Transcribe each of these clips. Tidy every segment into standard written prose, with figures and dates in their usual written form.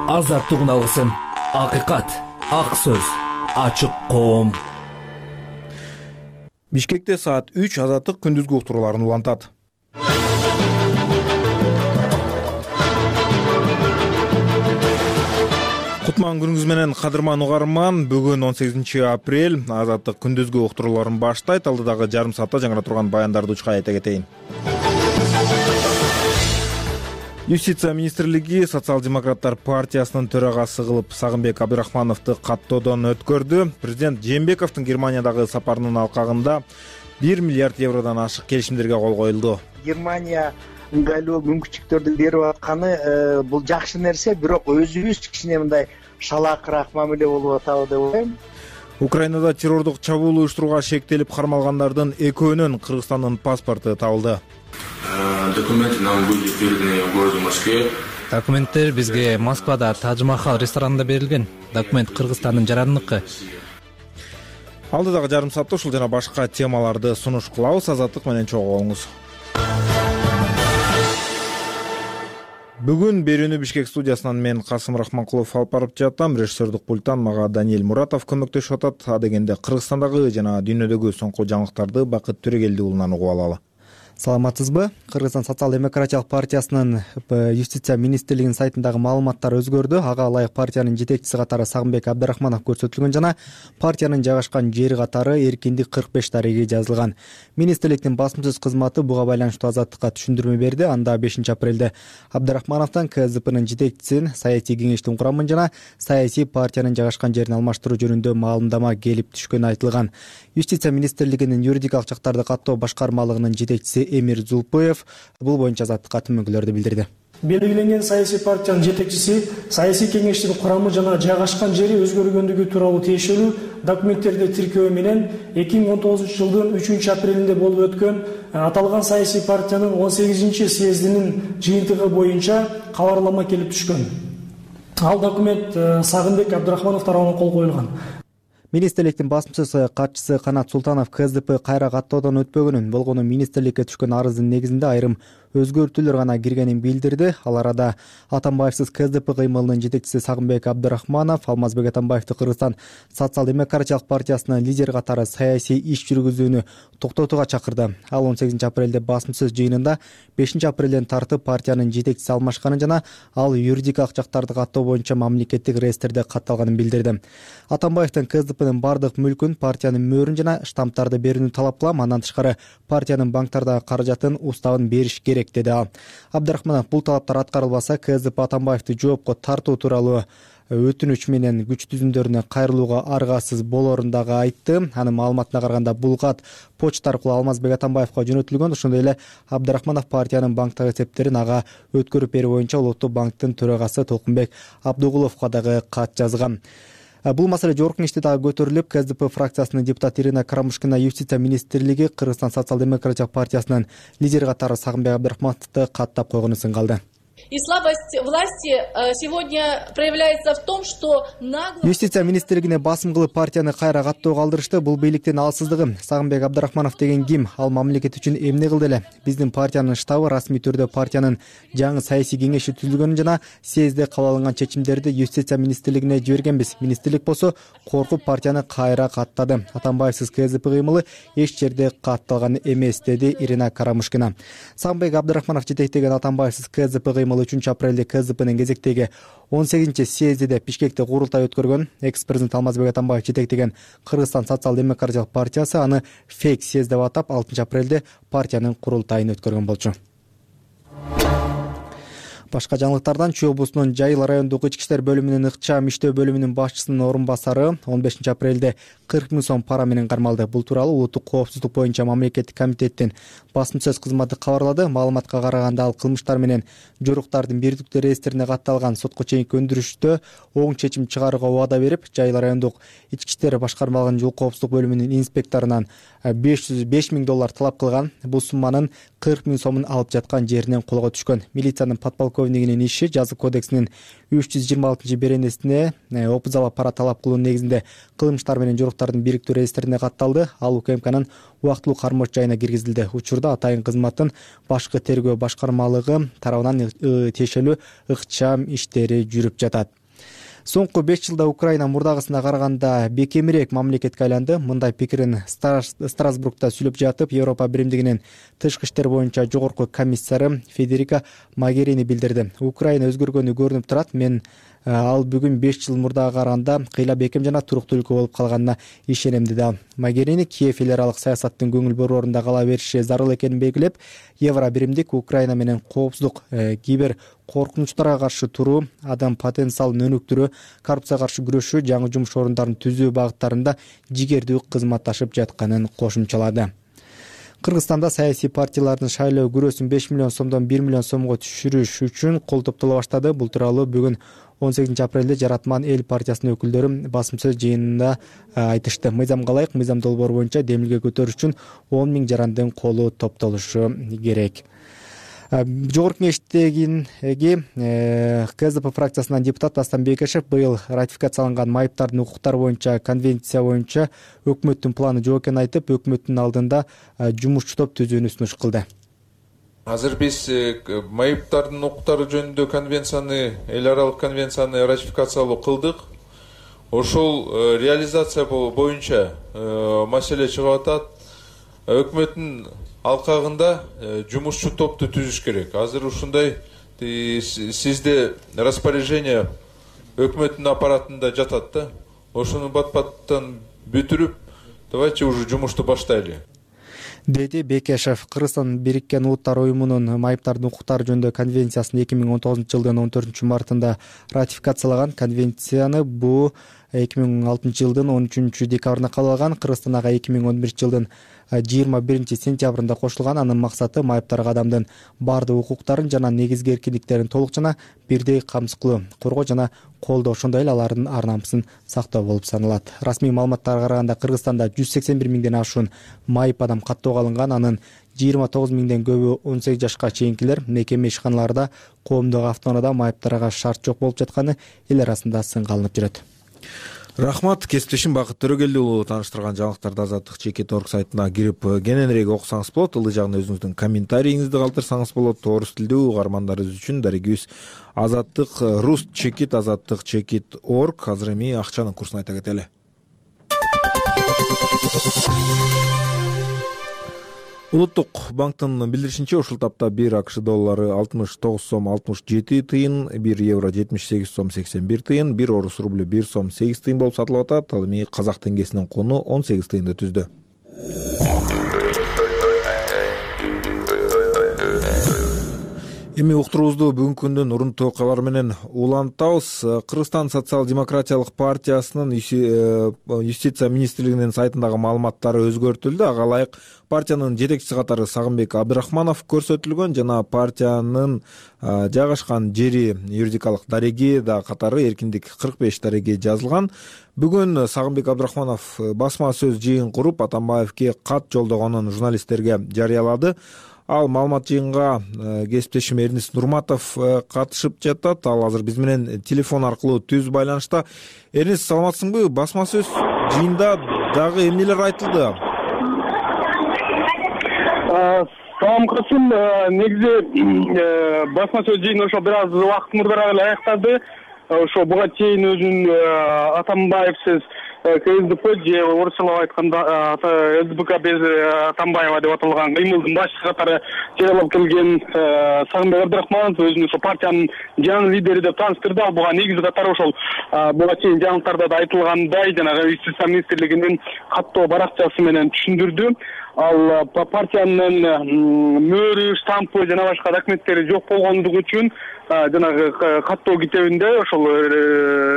Азаттык алгысым, акыйкат, ак сөз, ачык коом. Бишкекте саат 3 азаттык күндүзгү уктурууларын улантат. Кутман күнүңүз менен кадырман угарман. Бүгүн 18 апрель. Азаттык күндүзгү уктурууларын баштайт. Алдыдагы жарым саатта жаңыра турган баяндарды учка айта кетейин. Юстиция министрлиги Социал-демократтар партиясынын төрагасы кылып Сагынбек Абдрахмановду каттоодон өткөрдү. Президент Жээнбековдун Германиядагы сапарынын алкагында 1 миллиард евродон ашык келишимдерге кол коюлду. Германия ыңгайлуу мүмкүнчүлүктөрдү берип атканы бул жакшы нерсе, бирок өзүбүз кичине мындай шалаакыраак мамиле болуп атабы деп ойлойм. Украинада террордук чабуул уюштурууга шектелип кармалгандардын экөөнүн Кыргызстандын паспорту табылды. Документы нам были переданы в городе Москве. Документтер бизге Москвада Тадж-Махал ресторанында берилген. Документ Кыргызстандын жарандыкы. Алдыдагы жарым саатта ушул жана башка темаларды сунуш кылабыз. Азаттык менен чогуу болуңуз. Бүгүн берүүнү Бишкек студиясынан мен Касым Рахманкулов алып барып жатам. Режиссердик пульттан мага Даниэль Муратов көмөктөшүп атат. А дегенде Кыргызстандагы жана дүйнөдөгү соңку жаңылыктарды Бакыт Төрегелди уулунан угуп алалы. Саламатсызбы? Кыргызстан социал-демократиялык партиясынын юстиция министрлигинин сайтындагы маалыматтар өзгөрдү. Ага ылайык партиянын жетекчиси катары Сагынбек Абдрахманов көрсөтүлгөн жана партиянын жайгашкан жери катары Эркиндик 45 дареги жазылган. Министрликтин басмасөз кызматы буга байланыштуу Азаттыкка түшүндүрмө берди. Анда 5 апрелде Абдрахмановдон КСДПнын жетекчисин, саясий кеңештин курамын жана саясий партиянын жайгашкан жерин алмаштыруу жөнүндө маалымдама келип түшкөнү айтылган. Юстиция министрлигинин юридикалык жактарды каттоо башкармалыгынын жетекчиси Эмир Зулпоев бул боюнча Азаттыкка түмөнкүлөрдү билдирди. Белгиленген саясий партиянын жетекчиси, саясий кеңештин курамы жана жайгашкан жери өзгөргөндүгү тууралуу тиешелүү документтерди тиркөө менен 2019 жылдын 3 апрелинде болуп өткөн аталган саясий партиянын 18 съездинин жыйынтыгы боюнча кабарлама келип түшкөн. Ал документ Сагынбек Абдрахманов тарабынан кол коюлган. Министрликтин басмасөз катчысы Канат Султанов КСДП кайра каттоодон өтпөгөнүн, болгону министрликке түшкөн арыздын негизинде айрым өзгөртүүлөр гана киргенин билдирди. Ал арада Атамбаевсиз КСДП кыймылынын жетекчиси Сагынбек Абдрахманов Алмазбек Атамбаевди Кыргызстан социал-демократиялык партиясынын лидери катары саясий иш жүргүзүүнү токтотууга чакырды. Ал 18 апрелде басмасөз жыйынында 5 апрелден тартып партиянын жетекчиси алмашканын жана ал юридикалык жактарды каттоо боюнча мамлекеттик реестрде катталганын билдирди. Атамбаевдин КСДПнын бардык мүлкүн, партиянын мөөрүн жана штамптарды берүүнү талап кылам. Андан тышкары партиянын банктардагы каражатын, уставын бериш керек деди ал. Абдрахманов бул талаптар аткарылбаса КСДП Атамбаевди жоопко тартуу тууралуу өтүнүч менен күч түзүмдөрүнө кайрылууга аргасыз болорун дагы айтты. Анын маалыматына караганда бул кат почта аркылуу Алмазбек Атамбаевга жөнөтүлгөн. Ошондой эле Абдрахманов партиянын банктагы эсептерин ага өткөрүп берүү боюнча Улуттук банктын төрагасы Толкунбек Абдугуловго дагы кат жазган. Бул маселе жогорку кеңеште дагы көтөрүлүп, КСДП фракциясынын депутаты Ирина Карамушкина юстиция министрлиги Кыргызстан социал-демократиялык партиясынын лидери катары Сагынбек Абдрахмановду каттап койгону сыңгалды. И слабость власти сегодня проявляется в том, что Юстиция министрлигине басым кылып партияны кайра каттоого алдырышты. Бул бийликтин алсыздыгы. Сагынбек Абдрахманов деген ким? Ал мамлекет үчүн эмне кылды эле? Биздин партиянын штабы расмий түрдө партиянын жаңы саясий кеңеши түзүлгөнүн жана съездде кабыл алынган чечимдерди юстиция министрлигине жибергенбиз. Министрлик болсо коркуп партияны кайра каттады. Атамбаевсиз КСДП кыймылы эч жерде катталган эмес, деди Ирина Карамушкина. Сагынбек Абдрахманов жетектеген Атамбаевсиз КСДП кыймылы 3 апрелде КСДПнын кезектеги 18 съездиде Бишкекте курултай өткөргөн. Экс-президент Алмазбек Атамбаев жетектеген Кыргызстан социал-демократиялык партиясы аны фейк съезд деп атап 6 апрелде партиянын курултайын өткөргөн болчу. Башка жаңылыктардан Чүй облусунун Жайыл райондук ички иштер бөлүмүнүн ыкчам иштөө бөлүмүнүн башчысынын орун басары 15 апрелде 40 000 сом пара менен кармалды. Бул тууралуу улуттук коопсуздук боюнча мамлекеттик комитеттин басмасөз кызматы кабарлады. Маалыматка караганда ал кылмыштар менен жоруктардын бирдиктүү реестрине катталган сотко чейинки өндүрүштө оң чечим чыгарууга убада берип, Жайыл райондук ички иштер башкармалыгынын жол коопсуздук бөлүмүнүн инспекторунан $5,000 талап кылган. Бул сумманын 40 000 сомун алып жаткан жеринен колго түшкөн. Милициянын подполковнигинин иши жазык кодексинин 326 беренесине опузала пара талап кылуу негизинде кылмыштар менен жоруктардын бирдиктүү реестрине катталды. Ал УКМКнын убактылуу кармош жайына киргизилди. Учурда атайын кызматтын башкы тергөө башкармалыгы тарабынан тиешелүү ыкчам иштери жүрүп жатат. Соңку 5 жылда Украина мурдагысына караганда бекемирээк мамлекетке айланды. Мындай пикирин Страсбургда сүйлөп жатып, Европа биримдигинин тышкы иштер боюнча жогорку комиссары Федерика Могерини билдирди. Украина өзгөргөнү көрүнүп турат. Мен ал бүгүн 5 жыл мурдага караганда кыйла бекем жана туруктуу өлкө болуп калганына ишенем деди ал. Могерини Киев эл аралык саясаттын көңүл бурууорунда кала бериши зарыл экенин белгилеп, Евро биримдик Украина менен коопсуздук, кибер коркунучтарга каршы туруу, адам потенциалын өнүктүрүү, коррупцияга каршы күрөшүү, жаңы жумуш орундарын түзүү багыттарында жигердүү кызматташып жатканын кошумчалады. Кыргызстанда саясий партиялардын шайлоо күрөөсүн 5 миллион сомдон 1 миллион сомго түшүрүш үчүн кол топтоло баштады. Бул тууралуу бүгүн 18 апрелде Жаратман эл партиясынын өкүлдөрү басым сөз жыйынында айтышты. Мыйзамга ылайык мыйзам долбоору боюнча демилге көтөрүш үчүн 10 000 жарандын колу топтолушу керек. Жогорку кеңештеги КСДП фракциясынан депутат Дастан Бекешев быйыл ратификацияланган майыптардын укуктары боюнча конвенция боюнча өкмөттүн планы жок экенин айтып, өкмөттүн алдында жумушчу топ түзүүнү сунуш кылды. Азыр биз майыптардын укуктары жөнүндө конвенцияны, эл аралык конвенцияны ратификациялоо кылдык. Ошол реализация боюнча маселе чыгып атат. Өкмөттүн алкагында жумушчу топту түзүш керек. Азыр ушундай сизде распоряжение өкмөттүн аппаратында жатат да. Ошону бат-баттан бүтүрүп, давайте уже жумушту баштайлы. Деди Бекешев. Кыргызстан Бириккен Улуттар уюмунун майыптардын укуктары жөнүндө конвенциясын 2019 жылдын 14 мартында ратификациялаган. Конвенцияны бу 2006 жылдын 13 декабрында кабыл алган. Кыргызстан 2011 жылдын 21 сентябрында кошулган. Анын максаты майыптарга адамдын бардык укуктарын жана негизги эркиндиктерин толук жана бирдей камсыз кылуу, коргоо жана колдоо, ошондой эле алардын ар намысын сактоо болуп саналат. Расмий маалыматтарга караганда Кыргызстанда 181 миңден ашуун майып адам каттоого алынган. Анын 29 миңден көбү 18 жашка чейинкилер. Мекеме ишканаларда, коомдук автоунаада майыптарга шарт жок болуп жатканы эл арасында сынга алынып жүрөт. Рахмат, кесиптешим Бакыт Төрөгелди уулу тааныштырган жаңылыктарды Азаттык Чекит.org сайтына кирип кененирээк окусаңыз болот. Ылдый жагына өзүңүздүн комментарийиңизди калтырсаңыз болот. Орус тилдүү угармандарыбыз үчүн дарегибиз Азаттык Рус Чекит, Азаттык Чекит.org. Азыр эми акчанын курсун айта кетели. Улуттук банктын билдиришинче, ушул тапта 1 АКШ доллары 69 сом 67 тыйын, 1 евро 78 сом 81 тыйын, 1 орус рублю 1 сом 8 тыйын болуп сатылып атат. Ал эми казак теңгесинин куну 18 тыйынды түздү. Эми уктуруубузду бүгүнкү күндүн урунтуу окуялары менен улантабыз. Кыргызстан социал-демократиялык партиясынын юстиция министрлигинин сайтындагы маалыматтары өзгөртүлдү. Ага ылайык партиянын жетекчиси катары Сагынбек Абдрахманов көрсөтүлгөн жана партиянын жайгашкан жери юридикалык дареги да катары эркиндик 45 дареги жазылган. Бүгүн Сагынбек Абдрахманов басма сөз жыйын куруп, Атамбаевке кат жолдогонун журналисттерге жарыялады. Ал маалымат жыйынга кесиптешим Эрнис Нурматов катышып жатат. Ал азыр биз менен телефон аркылуу түз байланышта. Эрнис, саламатсыңбы? Басма сөз жыйында дагы эмнелер айтылды? Салам Касым, негизи басма сөз жыйын ошо бир аз убакыт мурдараак эле аяктады. Ошо буга чейин өзүнүн Атамбаевсиз КСДП же орусчалап айтканда СДПК без Атамбаева деп аталган кыймылдын башчысы катары жарыялап келген Сагынбек Абдрахманов өзүн ошо партиянын жаңы лидери деп тааныштырды. Ал буга негизи катары ошол буга чейин жаңылыктарда да айтылгандай жанагы юстиция министрлигинин каттоо баракчасы менен түшүндүрдү. Ал партиянын мөөрү, штампы жана башка документтери жок болгондугу үчүн жанагы каттоо китебинде ошол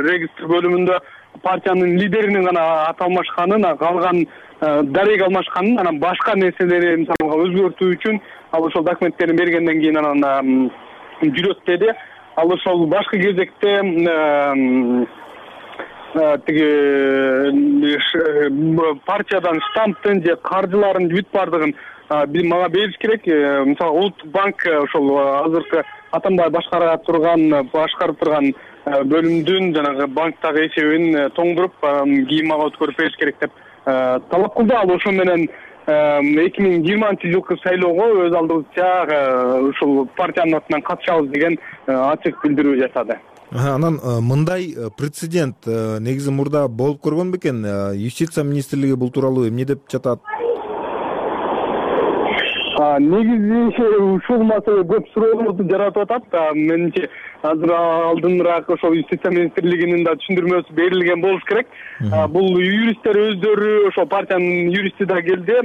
регистр бөлүмүндө партиянын лидеринин гана аты алмашканын, калган дареги алмашканын, анан башка нерселери мисалга өзгөртүү үчүн ал ошол документтерин бергенден кийин анан жүрөт деди. Ал ошол башкы кезекте тиги партиядан штамптын же каржыларын бүт бардыгын мага бериш керек. Мисалы Улуттук банк ошол азыркы Атамбаев башкарып турган бөлүмдүн жанагы банктагы эсебин тоңдуруп кийин мага өткөрүп бериш керек деп талап кылды. Ал ошо менен 2020-жылкы шайлоого өз алдыбызча ушул партиянын атынан катышабыз деген ачык билдирүү жасады. Анан мындай прецедент негизи мурда болуп көргөн бекен? Юстиция министрлиги бул тууралуу эмне деп жатат? Негизи ушул маселе көп суроолорду жаратып атат. Менимче азыр алдыныраак ошол Юстиция министрлигинин да түшүндүрмөсү берилген болуш керек. Бул юристтер өздөрү, ошол партиянын юристи да келди,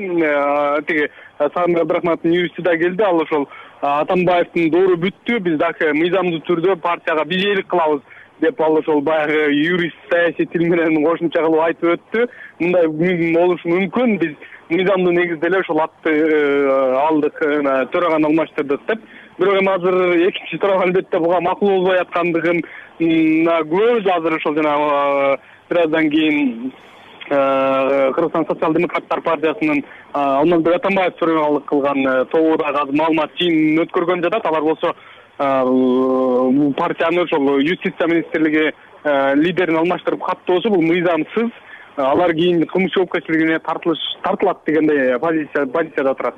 тиги Сагынбек Абдрахмановдун юристи да келди. Ал ошол Атамбаевдин доору бүттү, биз дагы мыйзамдуу түрдө партияга бижээлик кылабыз деп ал ошол баягы юрист саясий тил менен кошумча кылып айтып өттү. Мындай болушу мүмкүн, биз мыйзамдуу негизде эле ошол атты алдык, төраганы алмаштырдык деп. Бирок эми азыр экинчи суроо албетте буга макул болбой аткандыгын күбөбүз. Азыр ошол жана бир аздан кийин Кыргызстан социал-демократтар партиясынын Алмазбек Атамбаев төрөгалык кылган тобу дагы азыр маалымат жыйынын өткөргөн жатат. Алар болсо партияны ошол Юстиция министрлиги лидерин алмаштырып каттоосу бул мыйзамсыз. Алар кийин кылмыш жоопкерчилигине тартылат дегендей позицияда турат.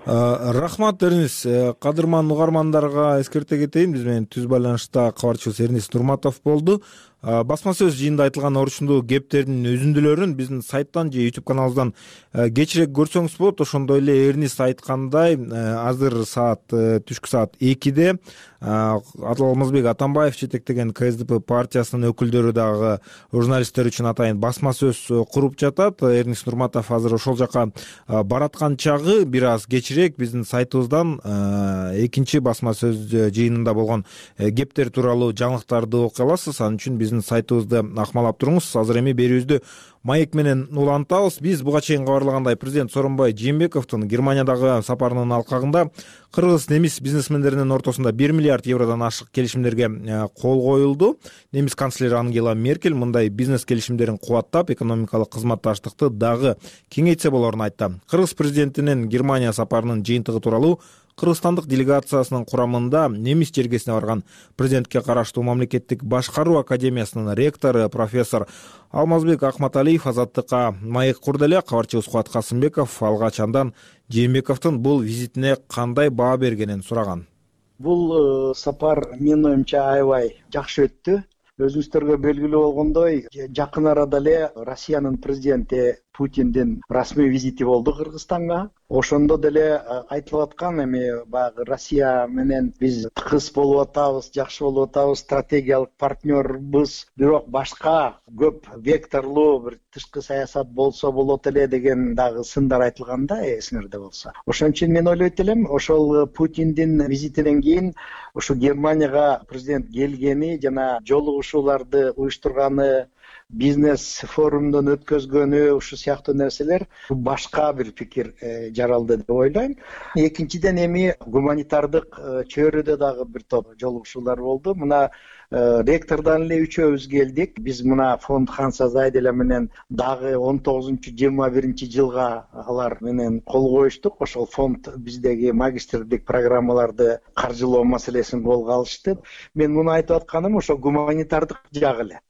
Рахмат Эрнис. Кадырман угармандарга эскерте кетейин, биз менен түз байланышта кабарчыбыз Эрнис Нурматов болду. Басма сөз жыйында айтылган орчундуу кептердин үзүндүлөрүн биздин сайттан же YouTube каналыбыздан кечирээк көрсөңүз болот. Ошондой эле Эрнис айткандай, азыр түшкү саат 2-де Алмазбек Атамбаев жетектеген КСДП партиясынын өкүлдөрү дагы журналисттер үчүн атайын басма сөз куруп жатат. Эрнис Нурматов азыр ошол жака бараткан чагы бир аз кечирээк биздин сайтыбыздан экинчи басма сөз жыйынында болгон кептер тууралуу жаңылыктарды окуй аласыз. Ал үчүн биздин сайтыбызды акмалап туруңуз. Азыр эми берүүбүздү маек менен улантабыз. Биз буга чейин кабарлагандай президент Сооронбай Жээнбековдун Германиядагы сапарынын алкагында кыргыз немис бизнесмендеринин ортосунда 1 миллиард евродон ашык келишимдерге кол коюлду. Немис канцлери Ангела Меркель мындай бизнес келишимдерин кубаттап, экономикалык кызматташтыкты дагы кеңейтсе болорун айтты. Кыргыз президентинин Германия сапарынын жыйынтыгы тууралуу Кыргызстандык делегациясынын курамында немис жергесине барган президентке караштуу мамлекеттик башкаруу академиясынын ректору профессор Алмазбек Акматалиев Азаттыкка маек курду эле. Кабарчыбыз Кубат Касымбеков алгач андан Жээнбековдун бул визитине кандай баа бергенин сураган. Бул сапар менин оюмча аябай жакшы өттү. Өзүңүздөргө белгилүү болгондой, жакын арада эле Россиянын президенти Путиндин расмий визити болду Кыргызстанга. Ошондо деле айтылып аткан, эми баягы Россия менен биз тыгыз болуп атабыз, жакшы болуп атабыз, стратегиялык партнербыз, бирок башка көп векторлуу бир тышкы саясат болсо болот эле деген дагы сындар айтылганда, эсиңерде болсо. Ошон үчүн мен ойлойт элем, ошол Путиндин визитинен кийин ушу Германияга президент келгени жана жолугушууларды уюштурганы, бизнес форумдон өткөзгөнү, ушу сыяктуу нерселер башка бир пикир жаралды деп ойлойм. Экинчиден эми гуманитардык чөйрөдө дагы бир топ жолугушуулар болду. Мына ректордон эле үчөөбүз келдик. Биз мына фонд Ханса Зайделя менен дагы 19-21 жылга алар менен кол коюштук. Ошол фонд биздеги магистрлик программаларды каржылоо маселесин колго алышты. Мен муну айтып атканым ошо гуманитардык жагы эле.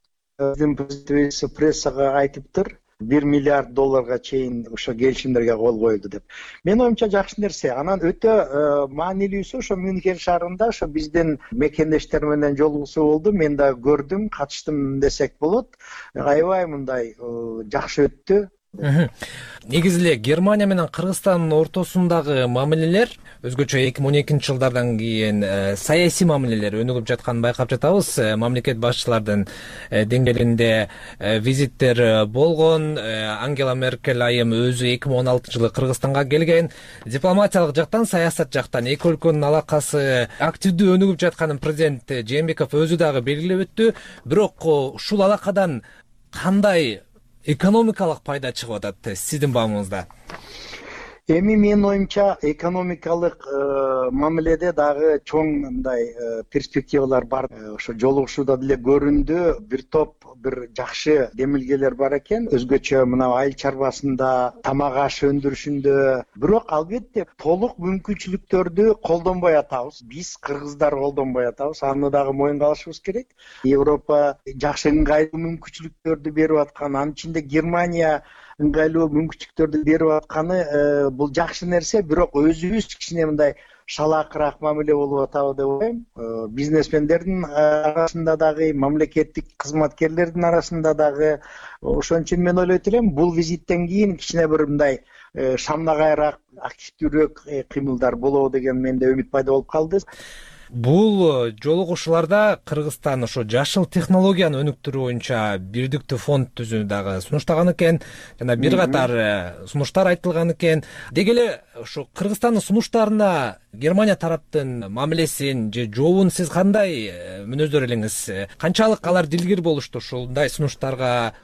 Биздин президент прессага айтыптыр, 1 миллиард долларга чейин ошо келишимдерге кол коюлду деп. Мен оюмча жакшы нерсе. Анан өтө маанилүүсү ошо Мюнхен шаарында ошо биздин мекендештер менен жолугушуу болду. Мен да көрдүм, катыштым десек болот. Аябай мындай жакшы өттү. Негизи эле Германия менен Кыргызстандын ортосундагы мамилелер өзгөчө 2012 жылдардан кийин саясий мамилелер өнүгүп жатканын байкап жатабыз. Мамлекет башчылардын деңгээлинде визиттер болгон. Ангела Меркель айым өзү 2016 жылы Кыргызстанга келген. Дипломатиялык жактан, саясат жактан эки өлкөнүн алакасы активдүү өнүгүп жатканын президент Жээнбеков өзү дагы белгилеп өттү. Бирок ушул алакадан кандай экономикалык пайда чыгып атат сиздин баамыңызда? Эми менин оюмча экономикалык мамиледе дагы чоң мындай перспективалар бар. Ошо жолугушууда деле көрүндү, бир топ бир жакшы демилгелер бар экен. Өзгөчө мына айыл чарбасында, тамак аш өндүрүшүндө. Бирок албетте толук мүмкүнчүлүктөрдү колдонбой атабыз. Биз кыргыздар колдонбой атабыз. Аны дагы моюнга алышыбыз керек. Европа жакшы ыңгайлуу мүмкүнчүлүктөрдү берип аткан, анын ичинде Германия ыңгайлуу мүмкүнчүлүктөрдү берип атканы бул жакшы нерсе, бирок өзүбүз кичине мындай шалаакыраак мамиле болуп атабы деп ойлойм. Бизнесмендердин арасында дагы, мамлекеттик кызматкерлердин арасында дагы. Ошон үчүн мен ойлойт элем, бул визиттен кийин кичине бир мындай шамнагайраак, активдүүрөөк кыймылдар болобу деген менде үмүт пайда болуп калды. Бул жолугушууларда Кыргызстан ошо жашыл технологияны өнүктүрүү боюнча бирдиктүү фонд түзүүнү дагы сунуштаган экен, жана бир катар сунуштар айтылган экен. Деги эле ошо Кыргызстандын сунуштарына Германия тараптын мамилесин же жообун сиз кандай мүнөздөр элеңиз? Канчалык алар дилгир болушту ушундай сунуштарга?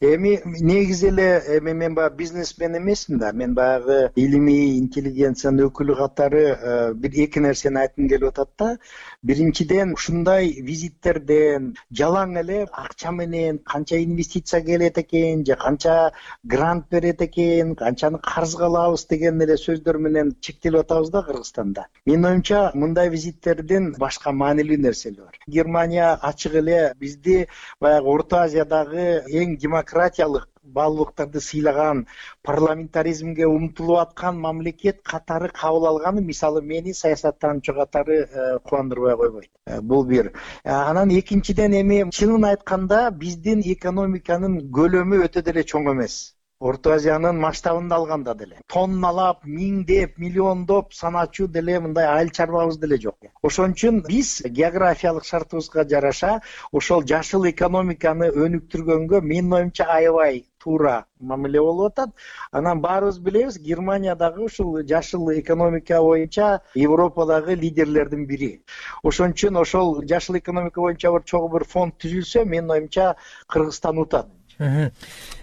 Эми негизи эле мен баягы бизнесмен эмесмин да. Мен баягы илимий интеллигенциянын өкүлү катары бир эки нерсени айткым келип атат да. Биринчиден, ушундай визиттерден жалаң эле акча менен канча инвестиция келет экен, же канча грант берет экен, канчаны карызга алабыз деген эле сөздөр менен чектелип атабыз да Кыргызстанда. Менин оюмча, мындай визиттердин башка маанилүү нерселери бар. Германия ачык эле бизди баягы Орто Азиядагы эң демократиялык баалуулуктарды сыйлаган, парламентаризмге умтулуп аткан мамлекет катары кабыл алганы, мисалы, мени саясаттануучу катары кубандырбай койбойт. Бул бир. Анан экинчиден, эми чынын айтканда биздин экономиканын көлөмү өтө деле чоң эмес. Орто Азиянын масштабында алганда деле тонналап, миңдеп, миллиондоп саначу деле мындай айыл чарбабыз деле жок. Ошон үчүн биз географиялык шартыбызга жараша ошол жашыл экономиканы өнүктүргөнгө менин оюмча аябай туура мамиле болуп атат. Анан баарыбыз билебиз, Германия дагы ушул жашыл экономика боюнча Европадагы лидерлердин бири. Ошон үчүн ошол жашыл экономика боюнча бир чогуу бир фонд түзүлсө, менин оюмча Кыргызстан утат.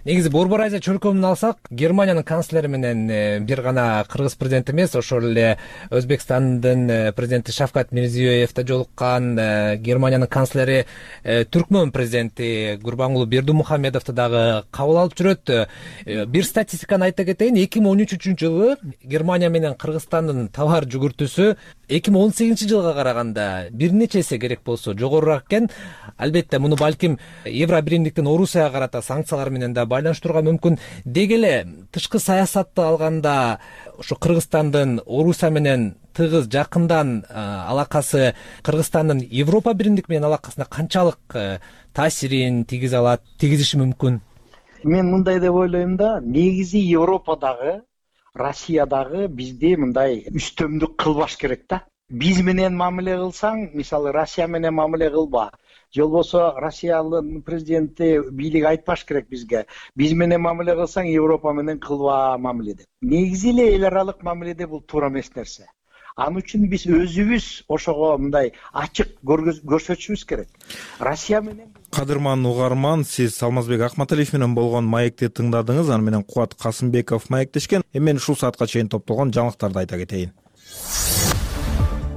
Негизи Борбор Азия чөлкөмүн алсак, Германиянын канцлери менен бир гана кыргыз президенти эмес, ошол эле Өзбекстандын президенти Шавкат Мирзиёев да жолуккан, Германиянын канцлери Түркмөн президенти Гурбангулы Бердимухамедовду дагы кабыл алып жүрөт. Бир статистиканы айта кетейин, 2013-жылы Германия менен Кыргызстандын товар жүгүртүүсү 2018 жылга караганда бир нече эсе керек болсо жогорураак экен. Албетте муну балким Евро биримдиктин Орусияга карата санкциялар менен да байланыштырууга мүмкүн. Деги эле тышкы саясатты алганда ошо Кыргызстандын Орусия менен тыгыз жакындан алакасы Кыргызстандын Европа биримдик менен алакасына канчалык таасирин тийгизиши мүмкүн? Мен мындай деп ойлойм да, негизи Европадагы, Россиядагы бизди мындай үстөмдүк кылбаш керек да. Биз менен мамиле кылсаң, мисалы Россия менен мамиле кылба. Же болбосо Россиянын президенти бийлик айтпаш керек бизге. Биз менен мамиле кылсаң, Европа менен кылба мамиле деп. Негизи эле эл аралык мамиледе бул туура эмес нерсе. Аны үчүн биз өзүбүз ошого мындай ачык көрсөтүшүбүз керек. Россия менен. Кадырман угарман, сиз Алмазбек Акматалиев менен болгон маекти тыңдадыңыз. Аны менен Кубат Касымбеков маектешкен. Мен ушул саатка чейин топтолгон жаңылыктарды айта кетейин.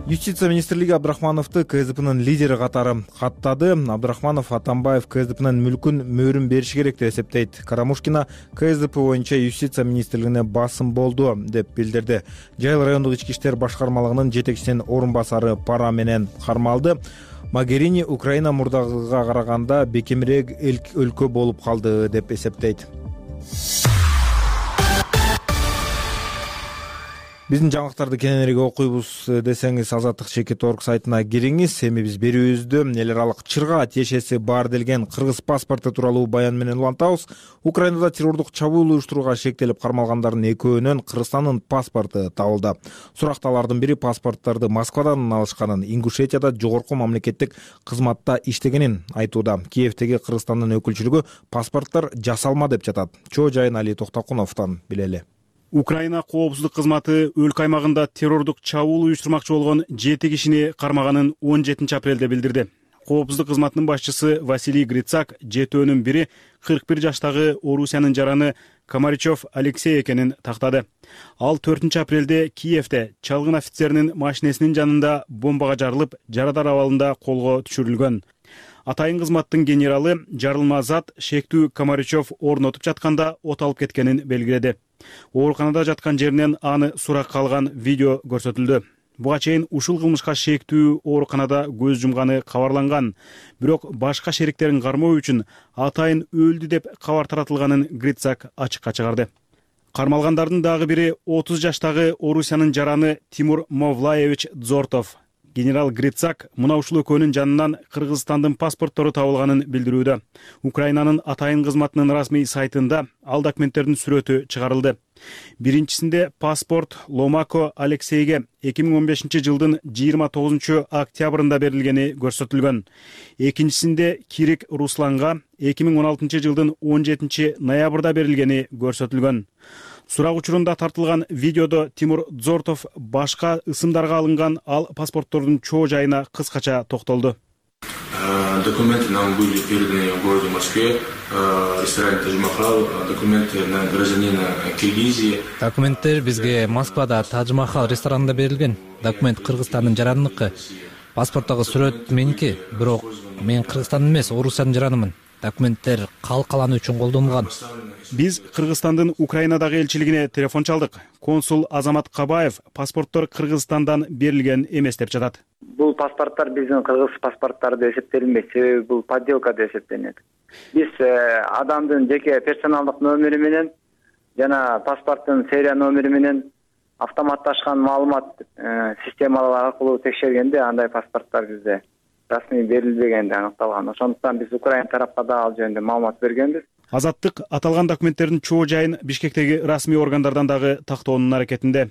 Юстиция министрлиги Абдрахмановду КСДПнын лидери катары каттады. Абдрахманов Атамбаев КСДПнын мүлкүн мөөрүн бериши керек деп эсептейт. Карамушкина КСДП боюнча Юстиция министрлигине басым болду деп билдирди. Жайыл райондук ички иштер башкармалыгынын жетекчисинин орун басары пара менен кармалды. Могерини Украина мурдагыга караганда бекемирээк өлкө болуп калды деп эсептейт. Биздин жаңылыктарды кененирээк окуйбуз десеңиз, Азаттык Чекит.орг сайтына кириңиз. Эми биз берүүбүздө эл аралык чырга тиешеси бар делген кыргыз паспорту тууралуу баян менен улантабыз. Украинада террордук чабуул уюштурууга шектелип кармалгандардын экөөнөн Кыргызстандын паспорту табылды. Суракталардын бири паспорттарды Москвадан алышканын, Ингушетияда жогорку мамлекеттик кызматта иштегенин айтууда. Киевдеги Кыргызстандын өкүлчүлүгү паспорттор жасалма деп жатат. Чоо жайын Али Токтокуновдон билели. Украина коопсуздук кызматы өлкө аймагында террордук чабуул уюштурмакчы болгон 7 кишини кармаганын 17 апрелде билдирди. Коопсуздук кызматынын башчысы Василий Грицак жетөөнүн бири 41 жаштагы Орусиянын жараны Комаричев Алексей экенин тактады. Ал 4 апрелде Киевде чалгын офицеринин машинесинин жанында бомбага жарылып, жарадар абалында колго түшүрүлгөн. Атайын кызматтын генералы жарылма зат шектүү Комаричев орнотуп жатканда от алып кеткенин белгиледи. Ооруканада жаткан жеринен аны суракка алган видео көрсөтүлдү. Буга чейин ушул кылмышка шектүү ооруканада көз жумганы кабарланган, бирок башка шериктерин кармоо үчүн атайын өлдү деп кабар таратылганын Грицак ачыкка чыгарды. Кармалгандардын дагы бири 30 жаштагы Орусиянын жараны Тимур Мовлаевич Дзортов. Генерал Грицак мына ушул экөөнүн жанынан Кыргызстандын паспорттору табылганын билдирүүдө. Украинанын атайын кызматынын расмий сайтында ал документтердин сүрөтү чыгарылды. Биринчисинде паспорт Ломако Алексейге 2015 жылдын 29 октябрында берилгени көрсөтүлгөн. Экинчисинде Кирик Русланга 2016 жылдын 17 ноябрда берилгени көрсөтүлгөн. Сурак учурунда тартылган видеодо Тимур Дзортов башка ысымдарга алынган ал паспорттордун чоо жайына кыскача токтолду. Документы нам были переданы в городе Москве, ресторан Тадж-Махал, документы на гражданина Киргизии. Документтер бизге Москвада Тадж-Махал ресторанында берилген. Документ Кыргызстандын жараныныкы. Паспорттогу сүрөт меники, бирок мен Кыргызстандын эмес, Орусиянын жаранымын. Документтер калкалануу үчүн колдонулган. Биз Кыргызстандын Украинадагы элчилигине телефон чалдык. Консул Азамат Кабаев паспорттор Кыргызстандан берилген эмес деп жатат. Бул паспорттор биздин кыргыз паспорттары деп эсептелинбейт, себеби бул подделка деп эсептелинет. Биз адамдын жеке персоналдык номери менен жана паспорттун серия номери менен автоматташкан маалымат системалар аркылуу текшергенде андай паспорттор бизде расмий берилбегенди аныкталган. Ошондуктан биз Украина тарапка да ал жөнүндө маалымат бергенбиз. Азаттык аталган документтердин чоо жайын Бишкектеги расмий органдардан дагы тактоонун аракетинде.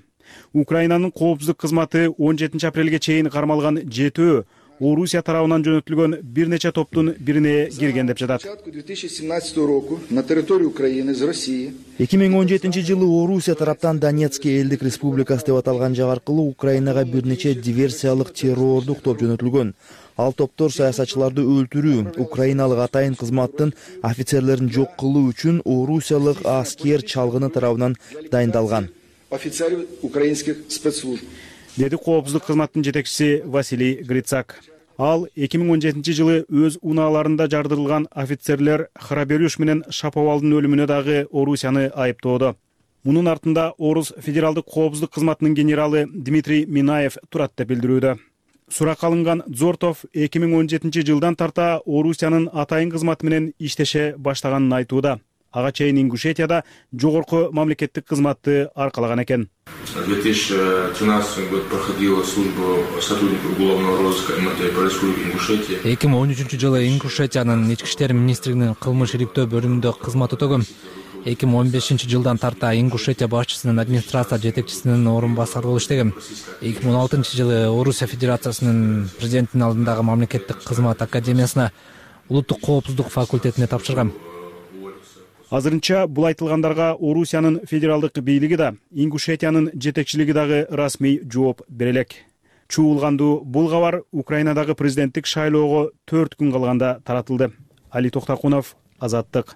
Украинанын коопсуздук кызматы 17 апрелге чейин кармалган 7 Орусия тарабынан жөнөтүлгөн бир нече топтун бирине кирген деп жатат. 2017 жылы Орусия тараптан Донецкий элдик республикасы деп аталган жак аркылуу Украинага бир нече диверсиялык террордук топ жөнөтүлгөн. Ал топтор саясатчыларды өлтүрүү, украиналык атайын кызматтын офицерлерин жок кылуу үчүн орусиялык аскер чалгыны тарабынан дайындалган. Офицеры украинских спецслужб. Деди коопсуздук кызматтын жетекчиси Василий Грицак. Ал 2017 жылы өз унааларында жардырылган офицерлер Храберюш менен Шаповалдын өлүмүнө дагы Орусияны айыптоодо. Мунун артында Орус федералдык коопсуздук кызматынын генералы Дмитрий Минаев турат деп билдирүүдө. Сурак алынган Дзортов 2017 жылдан тарта Орусиянын атайын кызматы менен иштеше баштаганын айтууда. Ага чейин Ингушетияда жогорку мамлекеттик кызматты аркалаган экен. В 2013 год проходила службу сотрудников уголовного розыска МВД по республике Ингушетия. 2013 жылы Ингушетиянын ички иштер министрлигинин кылмыш ириктөө бөлүмүндө кызмат өтөгөм. 2015 жылдан тарта Ингушетия башчысынын администрация жетекчисинин орун басары болуп иштегем. 2016 жылы Орусия Федерациясынын президентинин алдындагы мамлекеттик кызмат академиясына улуттук коопсуздук факультетине тапшыргам. Азырынча бул айтылгандарга Орусиянын федералдык бийлиги да, Ингушетиянын жетекчилиги дагы расмий жооп бере элек. Чуулгандуу бул кабар Украинадагы президенттик шайлоого 4 күн калганда таратылды. Али Токтакунов, Азаттык.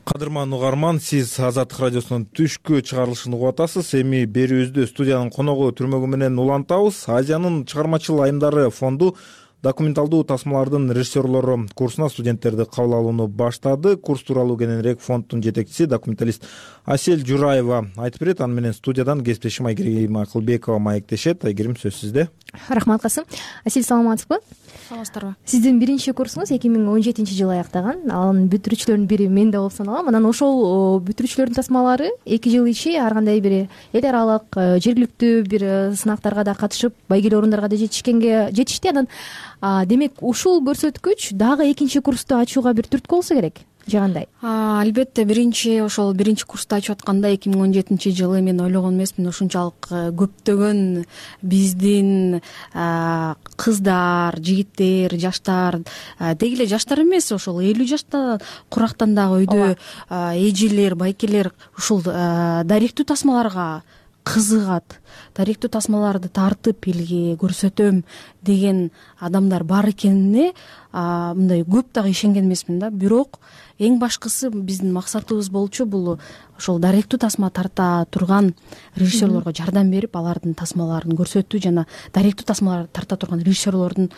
Кадырман угарман, сиз Азаттык радиосунун түшкү чыгарылышын угуп атасыз. Эми берүүбүздө студиянын коногу түрмөгү менен улантабыз. Азиянын чыгармачыл айымдары фонду документалдуу тасмалардын режиссерлору курсуна студенттерди кабыл алууну баштады. Курс тууралуу кененирээк фонддун жетекчиси документалист Асель Жураева айтып берет. Аны менен студиядан кесиптешим Айгерим Акылбекова маектешет. Айгерим, сөз сизде. Рахмат Касым. Асель, саламатсызбы? Саламатсыздарбы? Сиздин биринчи курсуңуз 2017 жылы аяктаган. Анын бүтүрүүчүлөрүнүн бири мен да болуп саналам. Анан ошол бүтүрүүчүлөрдүн тасмалары 2 жыл ичи ар кандай бир эл аралык жергиликтүү бир сынактарга да катышып, байгелүү орундарга да жетишти. Анан демек ушул көрсөткүч дагы экинчи курсту ачууга бир түрткү болсо керек. Же кандай? Албетте, биринчи курсту ачып атканда 2017 жылы мен ойлогон эмесмин ушунчалык көптөгөн биздин кыздар, жигиттер, жаштар, деги эле жаштар эмес, ошол 50 жашта курактандагы өйдө эжелер, байкелер ушул даректүү тасмаларга кызыгат, даректүү тасмаларды тартып элге көрсөтөм деген адамдар бар экенине мындай көп дагы ишенген эмесмин да. Бирок эң башкысы биздин максатыбыз болчу бул ошол даректүү тасма тарта турган режиссерлорго жардам берип, алардын тасмаларын көрсөтүү жана даректүү тасмаларды тарта турган режиссерлордун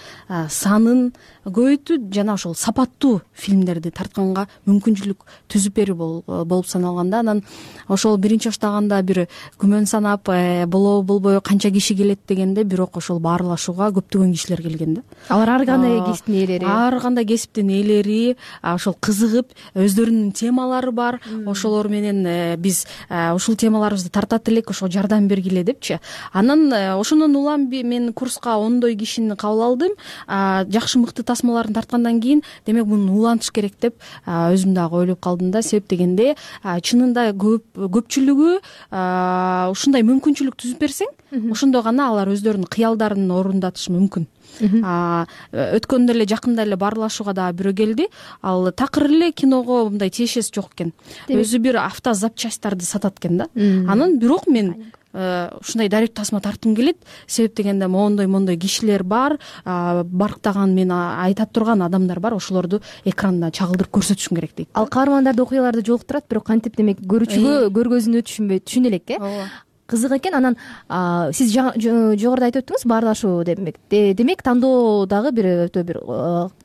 санын көбөйтүү жана ошол сапаттуу фильмдерди тартканга мүмкүнчүлүк түзүп берүү болуп саналганда. Анан ошол биринчи баштаганда бир күмөн санап болобу болбойбу, канча киши келет дегенде, бирок ошол баарлашууга көптөгөн кишилер келген да. Алар ар кандай кесиптин ээлери, ар кандай кесиптин ээлери ошол кызыгып, өздөрүнүн темалары бар, ошолор менен биз ушул темаларыбызды тартат элек, ошого жардам бергиле депчи. Анан ошондон улам мен курска 10 кишини кабыл алдым. Жакшы мыкты тасмаларын тарткандан кийин демек муну улантыш керек деп өзүм дагы ойлоп калдым да. Себеп дегенде чынында көпчүлүгү ушундай мүмкүнчүлүк түзүп берсең, ошондо гана алар өздөрүнүн кыялдарын орундатышы мүмкүн. Өткөндө эле жакында эле баарлашууга дагы бирөө келди. Ал такыр эле киного мындай тиешеси жок экен. Өзү бир автозапчасттарды сатат экен да. Анан бирок мен ушундай даректүү тасма тарткым келет. Себеп дегенде мондой кишилер бар, барктаган мен айта турган адамдар бар, ошолорду экранда чагылдырып көрсөтүшүм керек дейт. Ал каармандарды окуяларды жолуктурат, бирок кантип демек көрүүчүгө көргөзүүнү түшүнө элек кызык экен. Анан сиз жогоруда айтып өттүңүз баарлашуу демек тандоо дагы бир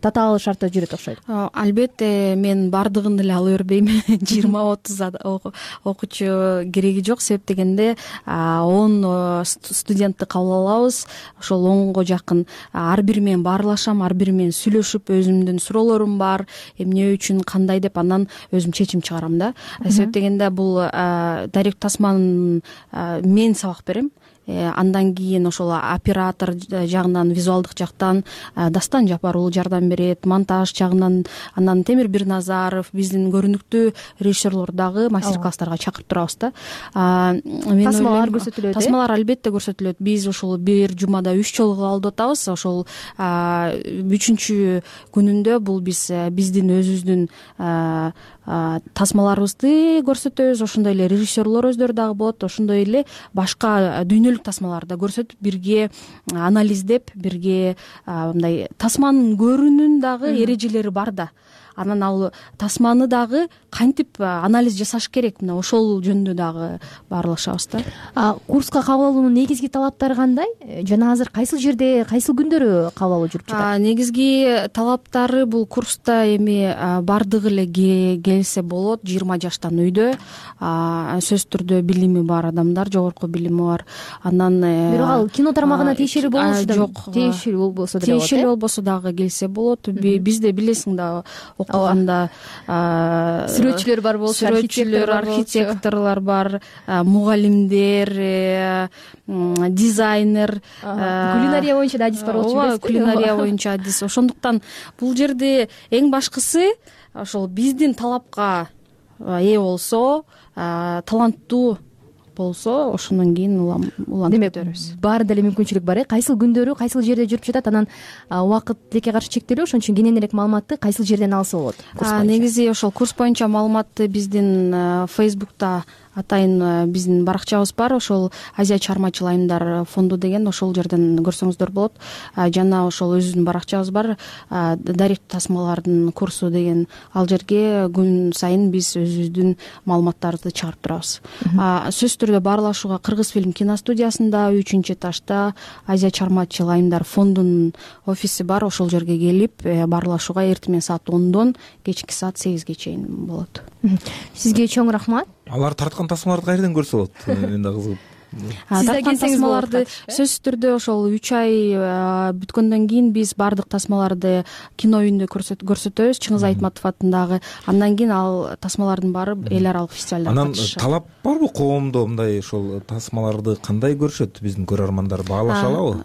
татаал шартта жүрөт окшойт. Албетте мен бардыгын эле ала бербейм. 20-30 окуучу кереги жок. Себеп дегенде 10 студентти кабыл алабыз. Ошол 10го жакын ар бири менен баарлашам, ар бири менен сүйлөшүп, өзүмдүн суроолорум бар, эмне үчүн, кандай деп анан өзүм чечим чыгарам да. Себеп дегенде бул даректүү тасманын мен сабак берем. Андан кийин ошол оператор жагынан, визуалдык жактан Дастан Жапарулу жардам берет, монтаж жагынан анан Темир Бирназаров, биздин көрүнүктүү режиссерлор дагы мастер-класстарга чакырып турабыз да. Тасмалар көрсөтүлөт. Тасмалар албетте көрсөтүлөт. Биз ошол бир жумада 3 жолу алып атабыз. Ошол 3-күнүндө бул биздин өзүбүздүн тасмаларыбызды көрсөтөбүз. Ошондой эле режиссерлор өздөрү дагы болот. Ошондой эле башка дүйнөлүк тасмаларды көрсөтүп, бирге анализдеп, бирге мындай тасманын көрүүнүн дагы эрежелери бар да. Анан ал тасманы дагы кантип анализ жасаш керек, мына ошол жөнүндө дагы баарлашабыз да. Курска кабыл алуунун негизги талаптары кандай? Жана азыр кайсыл жерде, кайсыл күндөрү кабыл алуу жүрүп жатат? Негизги талаптары бул курста эми бардыгы эле келсе болот. 20 жаштан үйдө, сөзсүз түрдө билими бар адамдар, жогорку билими бар. Анан бирок ал кино тармагына тиешелүү болушу да жок. Тиешелүү болбосо дагы келсе болот. Бизде билесиң да, окуганда сүрөтчүлөр бар болчу, архитекторлор бар, мугалимдер, дизайнер, кулинария боюнча да адис бар болчу. Ооба, кулинария боюнча адис. Ошондуктан бул жерде эң башкысы ошол биздин талапка ээ болсо, таланттуу болсо, ошондон кийин улантып өтөрбүз. Баарында эле мүмкүнчүлүк бар. Кайсыл күндөрү, кайсыл жерде жүрүп жатат? Анан убакыт тилекке каршы чектелүү, ошон үчүн кененирээк маалыматты кайсыл жерден алса болот? Негизи ошол курс боюнча маалыматты биздин Facebook'та атайын биздин баракчабыз бар. Ошол Азия чыгармачыл айымдар фонду деген, ошол жерден көрсөңүздөр болот. Жана ошол өзүбүздүн баракчабыз бар, даректүү тасмалардын курсу деген. Ал жерге күн сайын биз өзүбүздүн маалыматтарды чыгарып турабыз. Сөзсүз түрдө баарлашууга Кыргыз фильм киностудиясында 3-этажда Азия чыгармачыл айымдар фондунун офиси бар. Ошол жерге келип баарлашууга эртең менен саат 10дон кечки саат 8ге чейин болот. Сизге чоң рахмат. Алар тарткан тасмаларды кайерден көрсө болот? Мен да кызыгып. Тарткан тасмаларды сөзсүз түрдө ошол 3 ай бүткөндөн кийин биз баардык тасмаларды кино үйүндө көрсөтөбүз, Чыңгыз Айтматов атындагы. Андан кийин ал тасмалардын баары эл аралык фестивалда катышат. Анан талап барбы коомдо мындай ошол тасмаларды кандай көрүшөт биздин көрөрмандар, баалаша алабы?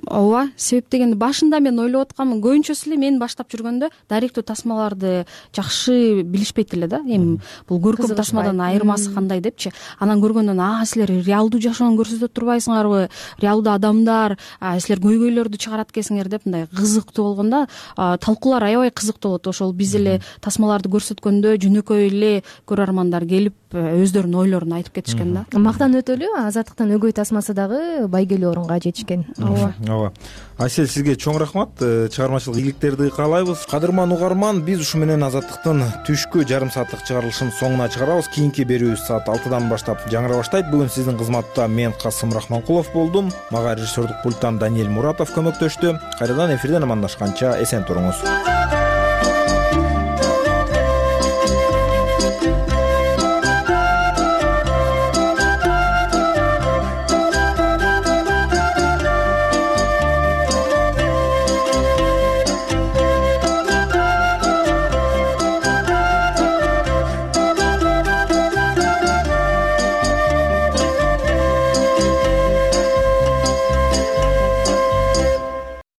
Ооба, себеп дегенде башында мен ойлоп аткам, көбүнчөсү эле мен баштап жүргөндө даректүү тасмаларды жакшы билишпейт эле да. Эми бул көркөм тасмадан айырмасы кандай депчи. Анан көргөндөн силер реалдуу жашоону көрсөтө турбайсыңарбы? Реалдуу адамдар, силер көйгөйлөрдү чыгарат экенсиңер деп мындай кызыктуу болгондо талкуулар аябай кызыктуу болот. Ошол биз эле тасмаларды көрсөткөндө жөнөкөй эле көрөрмандар келип өздөрүнүн ойлорун айтып кетишкен да. Мактанып өтөлү, Азаттыктын өгөй тасмасы дагы байгелүү орунга жетишкен. Ооба. Асель, сизге чоң рахмат. Чыгармачылык ийгиликтерди каалайбыз. Кадырман угарман, биз ушу менен Азаттыктын түшкү жарым сааттык чыгарылышын соңуна чыгарабыз. Кийинки берүүбүз саат 6-дан баштап жаңыра баштайт. Бүгүн сиздин кызматта мен Касым Рахманкулов болдум. Мага режиссердук пульттан Даниэль Муратов көмөктөштү. Кайрадан эфирден амандашканча эсен туруңуз.